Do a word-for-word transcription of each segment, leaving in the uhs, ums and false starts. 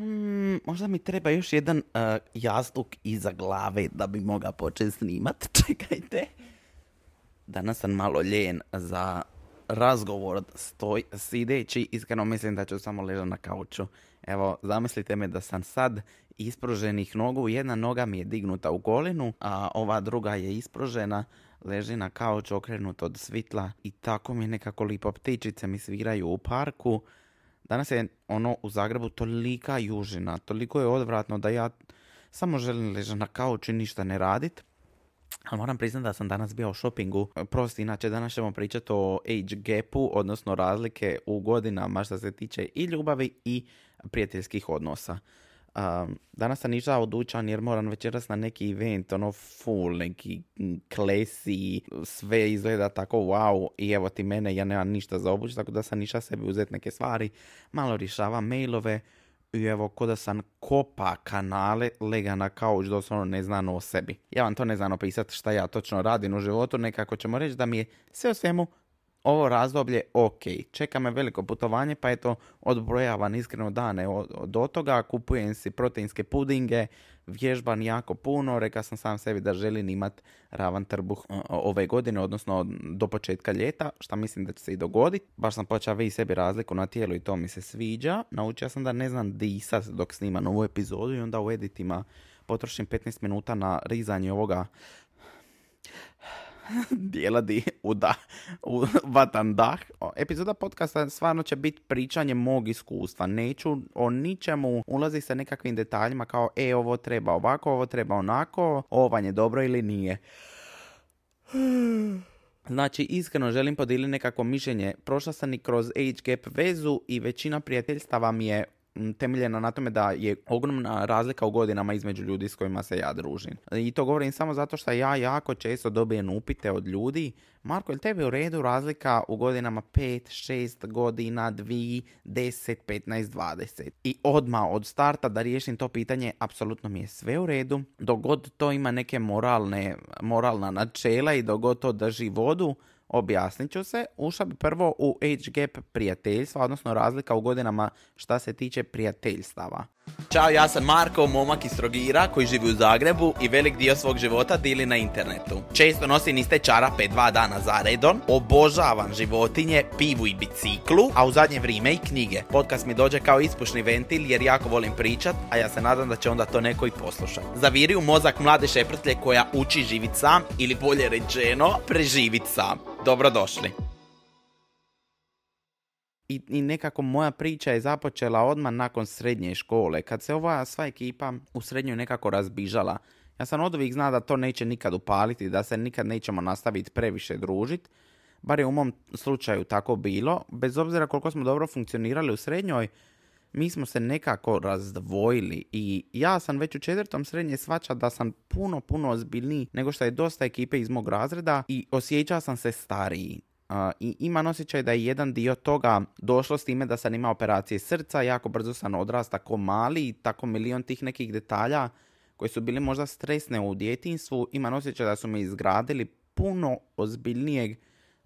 Hmm, možda mi treba još jedan uh, jastuk iza glave da bi mogao početi snimat. Čekajte. Danas sam malo ljen za razgovor stoj, sideći. Iskreno mislim da ću samo ležati na kauču. Evo, zamislite me da sam sad ispruženih nogu. Jedna noga mi je dignuta u golenu, a ova druga je ispružena. Leži na kauču okrenut od svitla i tako mi nekako lipo ptičice mi sviraju u parku. Danas je ono u Zagrebu tolika južina, toliko je odvratno da ja samo želim ležati na kauču i ništa ne radit. Ali moram priznati da sam danas bio u shoppingu. Prosti, inače danas ćemo pričati o age gapu, odnosno razlike u godinama što se tiče i ljubavi i prijateljskih odnosa. Um, danas sam išao u dućan jer moram večeras na neki event, ono full, neki klesi, sve izgleda tako wow i evo ti mene, ja nemam ništa za obuć, tako da sam išao sebi uzeti neke stvari, malo rješavam mailove i evo ko da sam kopa kanale, lega na kauč, doslovno ne znam o sebi. Ja vam to ne znam opisati šta ja točno radim u životu, nekako ćemo reći da mi je sve o svemu ovo razdoblje ok. Čeka me veliko putovanje, pa eto odbrojavam iskreno dane od, od toga, kupujem si proteinske pudinge, vježbam jako puno, rekao sam sam sebi da želim imat ravan trbuh ove godine, odnosno do početka ljeta, što mislim da će se i dogoditi. Baš sam počeo vidjeti sebi razliku na tijelu i to mi se sviđa. Naučio sam da ne znam disat dok snimam ovu epizodu i onda u editima potrošim petnaest minuta na rizanje ovoga dijela di uda, vatan dah. Epizoda podcasta stvarno će biti pričanje mog iskustva. Neću o ničemu ulazi sa nekakvim detaljima kao e, ovo treba ovako, ovo treba onako, ovo vam je dobro ili nije. Znači, iskreno želim podijeliti nekako mišljenje. Prošla sam i kroz age gap vezu i većina prijateljstava mi je temeljena na tome da je ogromna razlika u godinama između ljudi s kojima se ja družim. I to govorim samo zato što ja jako često dobijem upite od ljudi. Marko, je li tebi u redu razlika u godinama pet, šest godina, dvije, deset, petnaest, dvadeset? I odmah od starta da riješim to pitanje, apsolutno mi je sve u redu. Dok god to ima neke moralne, moralna načela i dok god to drži vodu, objasnit ću se. Ušla bi prvo u age gap prijateljstva, odnosno razlika u godinama šta se tiče prijateljstava. Ćao, ja sam Marko, momak iz Trogira koji živi u Zagrebu i velik dio svog života dili na internetu. Često nosim iste čarape dva dana za redom, obožavam životinje, pivu i biciklu, a u zadnje vrijeme i knjige. Podcast mi dođe kao ispušni ventil jer jako volim pričat, a ja se nadam da će onda to neko i poslušati. Zaviri u mozak mlade šeprtlje koja uči živit sam ili bolje rečeno preživit sam. Dobrodošli. I, I nekako moja priča je započela odmah nakon srednje škole, kad se ova sva ekipa u srednjoj nekako razbižala. Ja sam od uvijek znao da to neće nikad upaliti, da se nikad nećemo nastaviti previše družiti. Bar je u mom slučaju tako bilo. Bez obzira koliko smo dobro funkcionirali u srednjoj, mi smo se nekako razdvojili i ja sam već u četvrtom srednje shvaćao da sam puno, puno ozbiljniji nego što je dosta ekipe iz mog razreda i osjećao sam se stariji. Uh, I imam osjećaj da je jedan dio toga došlo s time da sam imao operacije srca, jako brzo sam odrastao tako mali i tako milion tih nekih detalja koji su bili možda stresne u djetinjstvu. Imam osjećaj da su me izgradili puno ozbiljnijeg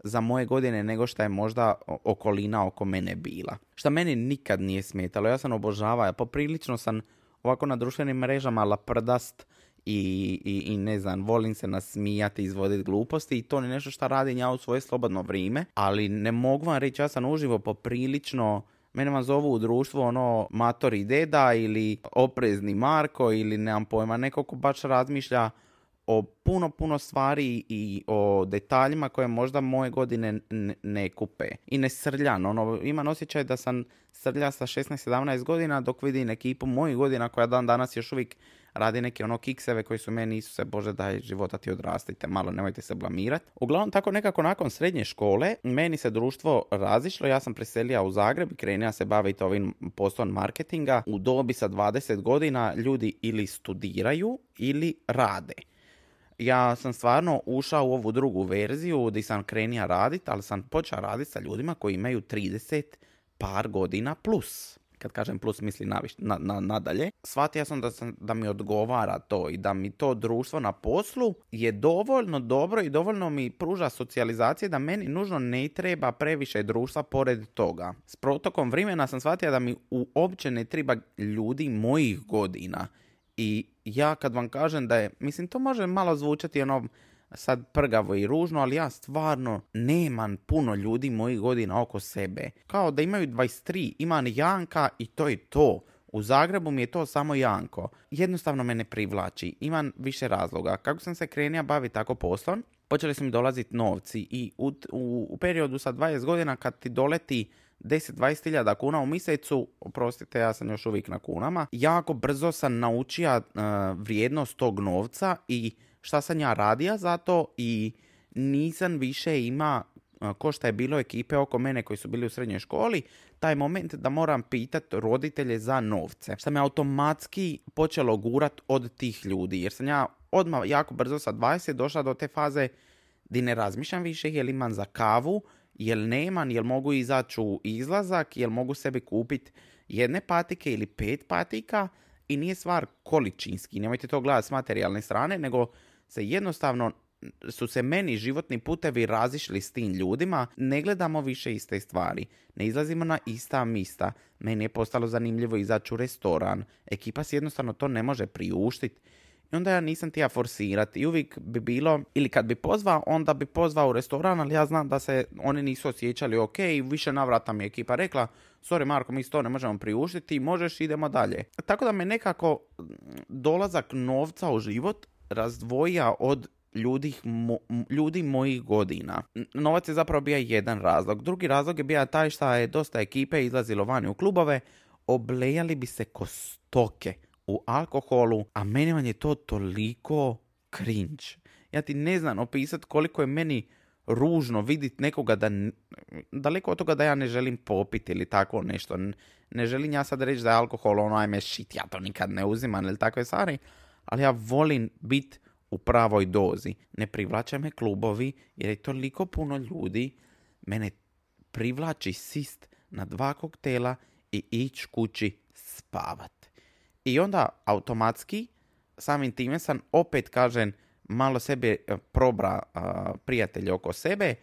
za moje godine nego što je možda okolina oko mene bila. Što meni nikad nije smetalo, ja sam obožavao, poprilično sam ovako na društvenim mrežama laprdast i, i, i ne znam, volim se nasmijati, izvoditi gluposti i to je nešto što radim ja u svoje slobodno vrijeme, ali ne mogu vam reći, ja sam uživo poprilično, mene vam zovu u društvu ono matori deda ili oprezni Marko ili nemam pojma, neko ko baš razmišlja o puno, puno stvari i o detaljima koje možda moje godine ne, ne kupe. I ne srljam. Ono, imam osjećaj da sam srlja sa šesnaest sedamnaest godina dok vidim ekipu mojih godina koja dan danas još uvijek radi neke ono kikseve koji su meni, Isuse Bože, daj života ti odrastite, malo nemojte se blamirati. Uglavnom, tako nekako nakon srednje škole, meni se društvo razišlo, ja sam preselio u Zagreb i krenio se baviti ovim poslom marketinga. U dobi sa dvadeset godina ljudi ili studiraju ili rade. Ja sam stvarno ušao u ovu drugu verziju gdje sam krenio raditi, ali sam počeo raditi sa ljudima koji imaju trideset par godina plus. kad kažem plus misli na, na, na, nadalje. Shvatio sam da, sam da mi odgovara to i da mi to društvo na poslu je dovoljno dobro i dovoljno mi pruža socijalizacije da meni nužno ne treba previše društva pored toga. S protokom vremena sam shvatio da mi uopće ne treba ljudi mojih godina. I ja kad vam kažem da je, mislim to može malo zvučati ono sad prgavo i ružno, ali ja stvarno nemam puno ljudi mojih godina oko sebe. Kao da imaju dvadeset tri, imam Janka i to je to. U Zagrebu mi je to samo Janko. Jednostavno me ne privlači. Imam više razloga. Kako sam se krenio baviti tako poslom, počeli su mi dolaziti novci i u, u, u periodu sa dvadeset godina kad ti doleti deset do dvadeset hiljada kuna u mjesecu, oprostite, ja sam još uvijek na kunama, jako brzo sam naučio uh, vrijednost tog novca i šta sam ja radio za to i nisam više ima, uh, ko šta je bilo ekipe oko mene koji su bili u srednjoj školi, taj moment da moram pitati roditelje za novce. Šta me automatski počelo gurat od tih ljudi, jer sam ja odmah jako brzo sa dvadeset došla do te faze di ne razmišljam više jel imam za kavu, jel nemam, jel mogu izaći u izlazak, jel mogu sebi kupiti jedne patike ili pet patika i nije stvar količinski. Nemojte to gledati s materijalne strane, nego se jednostavno su se meni životni putevi razišli s tim ljudima, ne gledamo više iste stvari, ne izlazimo na ista mista, meni je postalo zanimljivo izaći u restoran, ekipa si jednostavno to ne može priuštiti. I onda ja nisam tija forsirati i uvijek bi bilo, ili kad bi pozvao, onda bi pozvao u restoran, ali ja znam da se oni nisu osjećali ok i više navrata mi je ekipa rekla, sorry Marko, mi to ne možemo priuštiti, možeš, idemo dalje. Tako da me nekako dolazak novca u život razdvoja od ljudi, mo, ljudi mojih godina. Novac je zapravo bio jedan razlog. Drugi razlog je bio taj što je dosta ekipe izlazilo vani u klubove, oblejali bi se ko stoke u alkoholu, a meni vam je to toliko cringe. Ja ti ne znam opisati koliko je meni ružno vidjeti nekoga da, daleko od toga da ja ne želim popiti ili tako nešto. Ne želim ja sad reći da je alkohol ono ajme shit, ja to nikad ne uzimam ili takve stvari, ali ja volim biti u pravoj dozi. Ne privlače me klubovi jer je toliko puno ljudi, mene privlači sist na dva koktela i ići kući spavat. I onda automatski samim time sam opet kažem malo sebe probra uh, prijatelje oko sebe,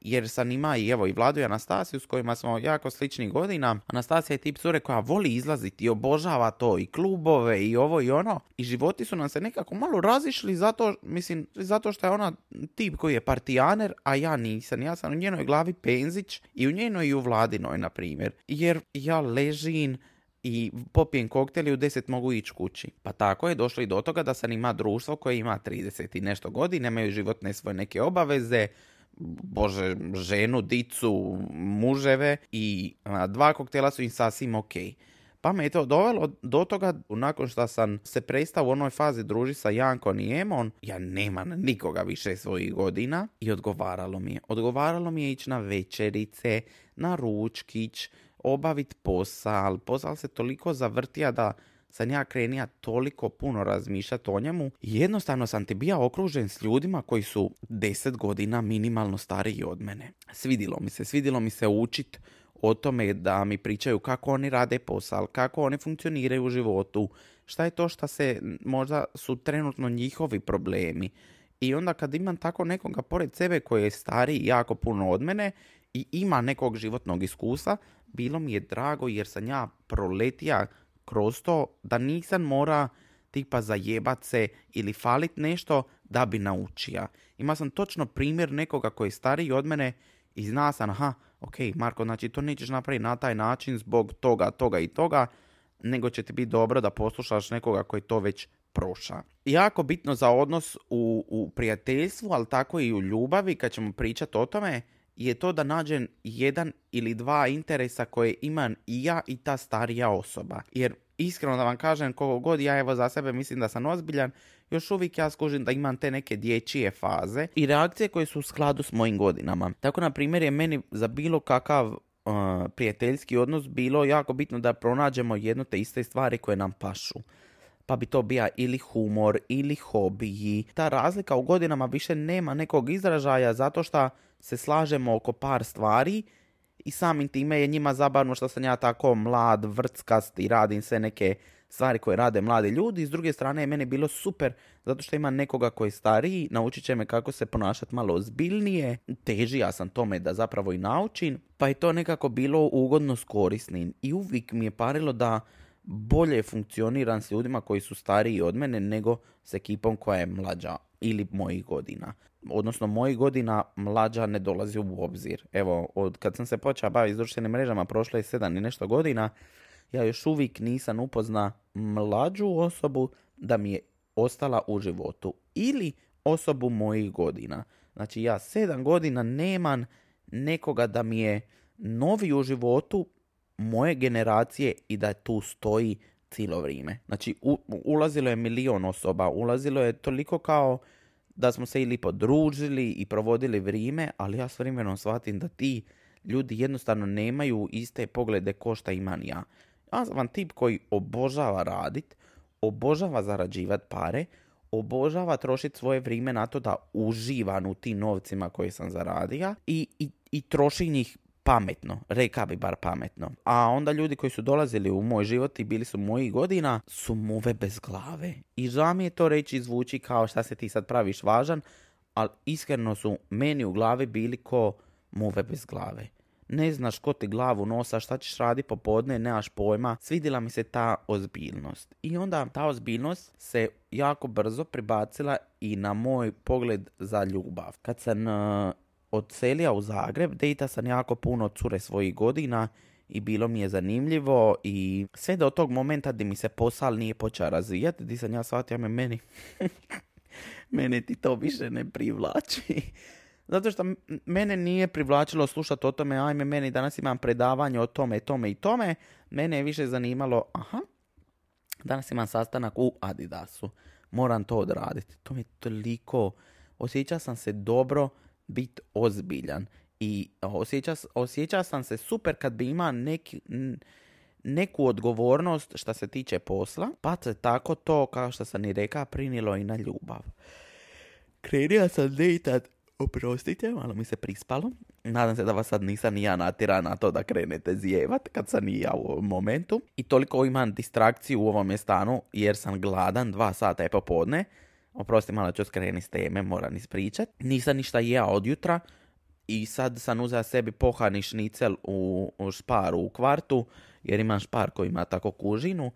jer sam ima i evo i Vladu i Anastasiju s kojima smo jako sličnih godina. Anastasija je tip cure koja voli izlaziti i obožava to i klubove i ovo i ono. I životi su nam se nekako malo razišli zato, mislim, zato što je ona tip koji je partijaner, a ja nisam. Ja sam u njenoj glavi penzić i u njenoj i u Vladinoj, na primjer. Jer ja ležim i popijem koktel i u deset mogu ići kući. Pa tako je došlo i do toga da sam ima društvo koje ima trideset i nešto godina, imaju životne svoje neke obaveze, bože, ženu, dicu, muževe i a, dva koktela su im sasvim ok. Pa me je to dovelo do toga, nakon što sam se prestao u onoj fazi družiti sa Jankom i Emon, ja nemam nikoga više svojih godina i odgovaralo mi je. Odgovaralo mi je ići na večerice, na ručkić, obaviti posal. Posal se toliko zavrtija da sam ja krenija toliko puno razmišljati o njemu. Jednostavno sam ti bio okružen s ljudima koji su deset godina minimalno stariji od mene. Svidilo mi se, svidilo mi se učit o tome da mi pričaju kako oni rade posal, kako oni funkcioniraju u životu, šta je to što se možda su trenutno njihovi problemi. I onda kad imam tako nekoga pored sebe koji je stariji jako puno od mene i ima nekog životnog iskustva, bilo mi je drago jer sam ja proletija kroz to da nisam mora tipa zajebat se ili falit nešto da bi naučija. Ima sam točno primjer nekoga koji je stariji od mene i zna sam, aha, ok, Marko, znači to nećeš napraviti na taj način zbog toga, toga i toga, nego će ti biti dobro da poslušaš nekoga koji to već proša. Jako bitno za odnos u, u prijateljstvu, ali tako i u ljubavi, kad ćemo pričati o tome, je to da nađem jedan ili dva interesa koje imam i ja i ta starija osoba. Jer iskreno da vam kažem, koliko god ja evo za sebe mislim da sam ozbiljan, još uvijek ja skužim da imam te neke dječje faze i reakcije koje su u skladu s mojim godinama. Tako, na primjer, je meni za bilo kakav uh, prijateljski odnos bilo jako bitno da pronađemo jedno te iste stvari koje nam pašu. Pa bi to bija ili humor, ili hobiji. Ta razlika u godinama više nema nekog izražaja zato što se slažemo oko par stvari i samim time je njima zabavno što sam ja tako mlad, vrckast i radim sve neke stvari koje rade mladi ljudi. S druge strane je meni bilo super zato što ima nekoga koji je stariji, naučit će me kako se ponašati malo ozbiljnije, težija sam tome da zapravo i naučim, pa je to nekako bilo ugodno s korisnim i uvijek mi je parilo da bolje funkcioniram s ljudima koji su stariji od mene nego s ekipom koja je mlađa ili mojih godina. Odnosno, mojih godina mlađa ne dolazi u obzir. Evo, od kad sam se počeo baviti s društvenim mrežama, prošlo je sedam i nešto godina, ja još uvijek nisam upozna mlađu osobu da mi je ostala u životu. Ili osobu mojih godina. Znači, ja sedam godina nemam nekoga da mi je novi u životu moje generacije i da tu stoji cijelo vrijeme. Znači, u, ulazilo je milion osoba, ulazilo je toliko kao da smo se ili podružili i provodili vrijeme, ali ja s vremenom shvatim da ti ljudi jednostavno nemaju iste poglede ko šta imam ja. Ja sam vam tip koji obožava radit, obožava zarađivat pare, obožava trošiti svoje vrijeme na to da uživam u tim novcima koje sam zaradio i, i, i troši njih pametno, reka bi bar pametno. A onda ljudi koji su dolazili u moj život i bili su mojih godina su muve bez glave. I žao mi je to reći, zvuči kao šta se ti sad praviš važan, ali iskreno su meni u glavi bili ko muve bez glave. Ne znaš ko ti glavu nosa, šta ćeš raditi popodne, nemaš pojma. Svidjela mi se ta ozbiljnost. I onda ta ozbiljnost se jako brzo pribacila i na moj pogled za ljubav. Kad sam uh, odselio u Zagreb, dejta sam jako puno cure svojih godina i bilo mi je zanimljivo i sve do tog momenta gdje mi se posao nije počeo razvijati, gdje sam ja shvatio me meni, mene ti to više ne privlači. Zato što mene nije privlačilo slušati o tome, ajme meni danas imam predavanje o tome, tome i tome. Mene je više zanimalo, aha, danas imam sastanak u Adidasu, moram to odraditi. To mi je toliko, osjećao sam se dobro biti ozbiljan i osjeća, osjeća sam se super kad bi imao neki, neku odgovornost što se tiče posla, pa se tako to, kao što sam i rekao, prinilo i na ljubav. Krenio sam dejtat, oprostite, malo mi se prispalo. Nadam se da vas sad nisam ni ja natjera na to da krenete zijevat kad sam i ja u ovom momentu. I toliko imam distrakciju u ovom stanu jer sam gladan, dva sata je popodne. Oprosti, malo ću skreni s teme, moram ispričat. Nisam ništa jeo od jutra i sad sam uzeo sebi pohani šnicel u, u šparu u kvartu, jer imam špar koji ima tako kužinu.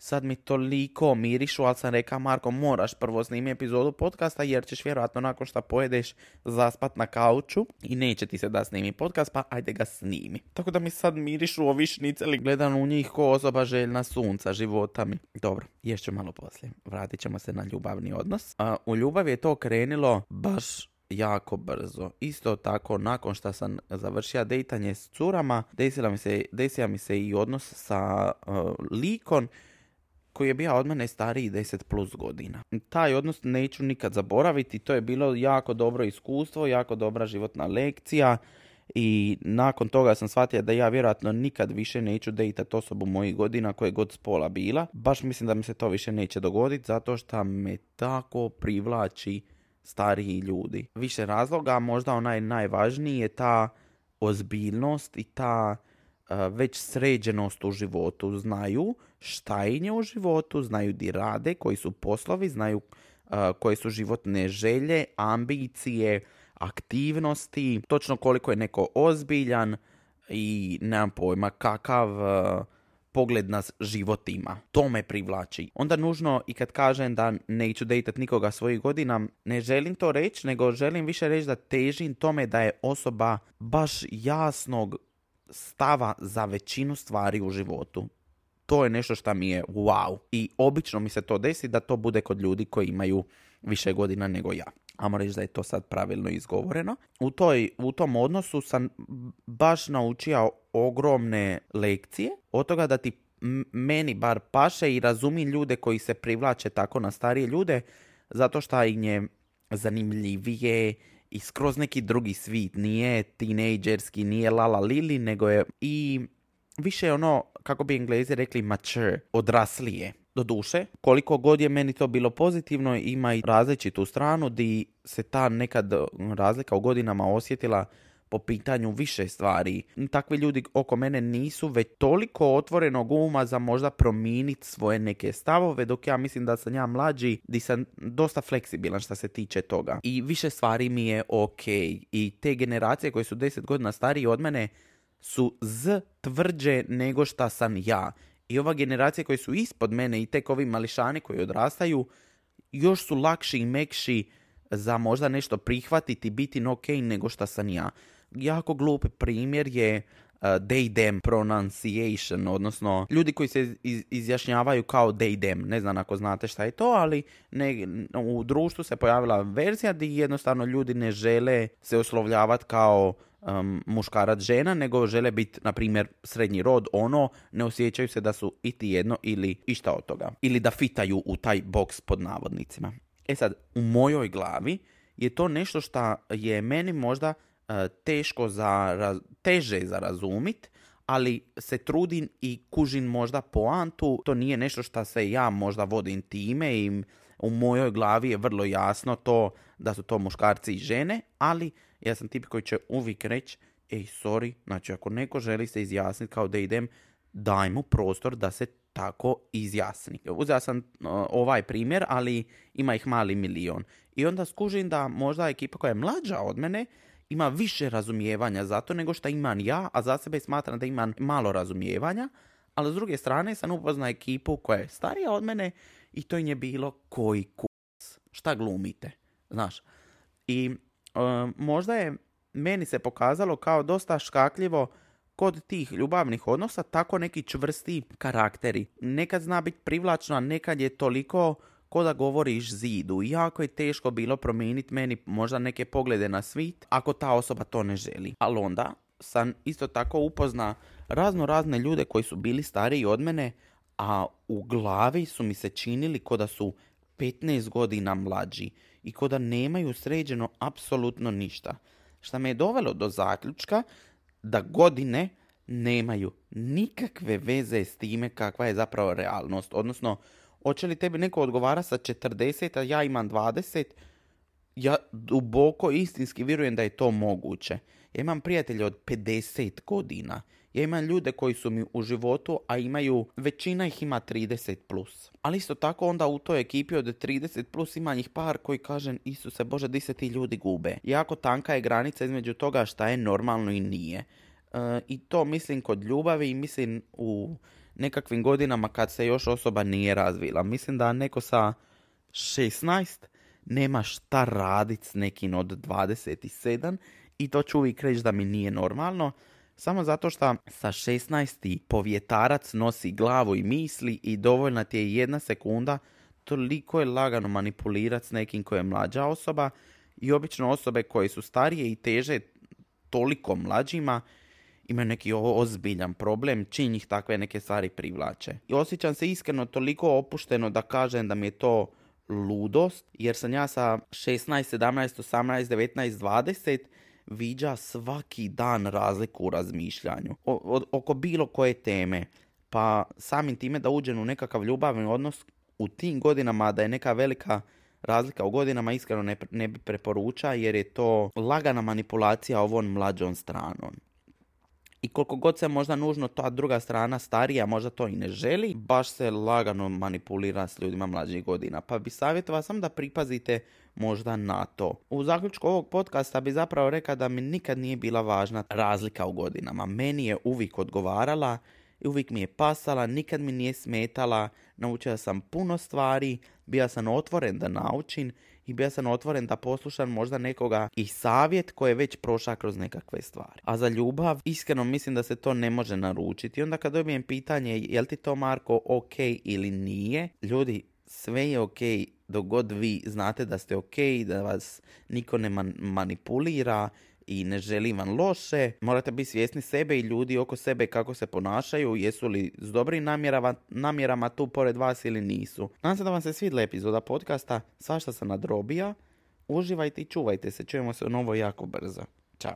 Sad mi toliko mirišu, ali sam rekao, Marko, moraš prvo snimi epizodu podcasta jer ćeš vjerojatno nakon što pojedeš zaspat na kauču i neće ti se da snimi podcast, pa ajde ga snimi. Tako da mi sad mirišu ovi šniceli, gledam u njih ko osoba željna sunca, života mi. Dobro, ješću malo poslije. Vratit ćemo se na ljubavni odnos. A, u ljubavi je to krenilo baš jako brzo. Isto tako, nakon što sam završio dejtanje s curama, desila mi se, desila mi se i odnos sa uh, likom koji je bio od mene stariji deset plus godina. Taj odnos neću nikad zaboraviti, to je bilo jako dobro iskustvo, jako dobra životna lekcija i nakon toga sam shvatio da ja vjerojatno nikad više neću dejtati osobu mojih godina koje god spola bila. Baš mislim da mi se to više neće dogoditi zato što me tako privlači stariji ljudi. Više razloga, možda onaj najvažniji je ta ozbiljnost i ta uh, već sređenost u životu. Znaju šta je u životu, znaju di rade, koji su poslovi, znaju uh, koje su životne želje, ambicije, aktivnosti, točno koliko je neko ozbiljan i nemam pojma kakav uh, pogled na život ima. To me privlači. Onda nužno i kad kažem da neću dejtat nikoga svojih godina, ne želim to reći, nego želim više reći da težim tome da je osoba baš jasnog stava za većinu stvari u životu. To je nešto što mi je wow. I obično mi se to desi da to bude kod ljudi koji imaju više godina nego ja. Ajmo reći da je to sad pravilno izgovoreno. U, toj, u tom odnosu sam baš naučio ogromne lekcije. Od toga da ti m- meni bar paše i razumim ljude koji se privlače tako na starije ljude, zato što im je zanimljivije i skroz neki drugi svit. Nije tinejdžerski, nije lala lili, nego je i više je ono, kako bi Englezi rekli, mature, odraslije. Doduše, koliko god je meni to bilo pozitivno, ima i različitu stranu di se ta nekad razlika u godinama osjetila po pitanju više stvari. Takvi ljudi oko mene nisu već toliko otvorenog uma za možda promijeniti svoje neke stavove, dok ja mislim da sam ja mlađi, di sam dosta fleksibilan što se tiče toga. I više stvari mi je ok. I te generacije koje su deset godina stariji od mene su z tvrđe nego šta sam ja. I ova generacija koji su ispod mene i tek ovi mališani koji odrastaju još su lakši i mekši za možda nešto prihvatiti, biti ok nego šta sam ja. Jako glup primjer je uh, they them pronunciation, odnosno ljudi koji se iz, izjašnjavaju kao they them. Ne znam ako znate šta je to, ali ne, u društvu se pojavila verzija gdje jednostavno ljudi ne žele se oslovljavati kao um, muškarac žena, nego žele biti, na primjer, srednji rod, ono, ne osjećaju se da su iti jedno ili išta od toga. Ili da fitaju u taj boks pod navodnicima. E sad, u mojoj glavi je to nešto što je meni možda uh, teško za, raz, teže za razumit, ali se trudim i kužim možda poantu. To nije nešto što se ja možda vodim time i u mojoj glavi je vrlo jasno to da su to muškarci i žene, ali ja sam tip koji će uvijek reći, ej, sorry, znači ako neko želi se izjasniti kao da idem, daj mu prostor da se tako izjasni. Uzeo sam uh, ovaj primjer, ali ima ih mali milion. I onda skužim da možda ekipa koja je mlađa od mene ima više razumijevanja za to nego što imam ja, a za sebe smatram da imam malo razumijevanja, ali s druge strane sam upoznao ekipu koja je starija od mene i to im je bilo koji kurac. Šta glumite? Znaš. I uh, možda je meni se pokazalo kao dosta škakljivo kod tih ljubavnih odnosa tako neki čvrsti karakteri. Nekad zna biti privlačno, a nekad je toliko ko da govoriš zidu. Jako je teško bilo promijeniti meni možda neke poglede na svijet ako ta osoba to ne želi. Ali onda sam isto tako upozna razno razne ljude koji su bili stariji od mene, a u glavi su mi se činili ko da su petnaest godina mlađi i ko da nemaju sređeno apsolutno ništa. Što me je dovelo do zaključka da godine nemaju nikakve veze s time kakva je zapravo realnost. Odnosno, hoće li tebi neko odgovara sa četrdeset, a ja imam dvadeset, ja duboko istinski vjerujem da je to moguće. Ja imam prijatelje od pedeset godina. Ja imam ljude koji su mi u životu, a imaju, većina ih ima trideset plus. Ali isto tako onda u toj ekipi od trideset plus ima ih par koji kažem, Isuse Bože, di se ti ljudi gube. Jako tanka je granica između toga šta je normalno i nije. E, I to mislim kod ljubavi i mislim u nekakvim godinama kad se još osoba nije razvila. Mislim da neko sa šesnaest nema šta raditi s nekim od dvadeset sedam i to ću uvijek reći da mi nije normalno. Samo zato što sa šesnaest povjetarac nosi glavu i misli i dovoljna ti je jedna sekunda, toliko je lagano manipulirati s nekim koji je mlađa osoba i obično osobe koje su starije i teže toliko mlađima imaju neki ozbiljan problem, čim ih takve neke stvari privlače. I osjećam se iskreno toliko opušteno da kažem da mi je to ludost, jer sam ja sa šesnaest, sedamnaest, osamnaest, devetnaest, dvadeset viđa svaki dan razliku u razmišljanju. O, o, oko bilo koje teme. Pa samim time da uđem u nekakav ljubavni odnos u tim godinama, da je neka velika razlika u godinama, iskreno ne, ne bi preporuča, jer je to lagana manipulacija ovom mlađom stranom. I koliko god se možda nužno ta druga strana starija možda to i ne želi, baš se lagano manipulira s ljudima mlađih godina. Pa bi savjetovao sam da pripazite možda na to. U zaključku ovog podcasta bi zapravo rekao da mi nikad nije bila važna razlika u godinama. Meni je uvijek odgovarala i uvijek mi je pasala, nikad mi nije smetala. Naučila sam puno stvari, bio sam otvoren da naučim i bio sam otvoren da poslušam možda nekoga i savjet koji je već prošao kroz nekakve stvari. A za ljubav, iskreno mislim da se to ne može naručiti. I onda kad dobijem pitanje je li ti to, Marko, ok ili nije, ljudi, sve je ok dok god vi znate da ste ok, da vas niko ne man- manipulira i ne želi vam loše. Morate biti svjesni sebe i ljudi oko sebe kako se ponašaju, jesu li s dobrim namjerama, namjerama tu pored vas ili nisu. Nadam se da vam se svidjela epizoda podcasta, svašta sam nadrobija. Uživajte i čuvajte se, čujemo se u novo jako brzo. Ćao.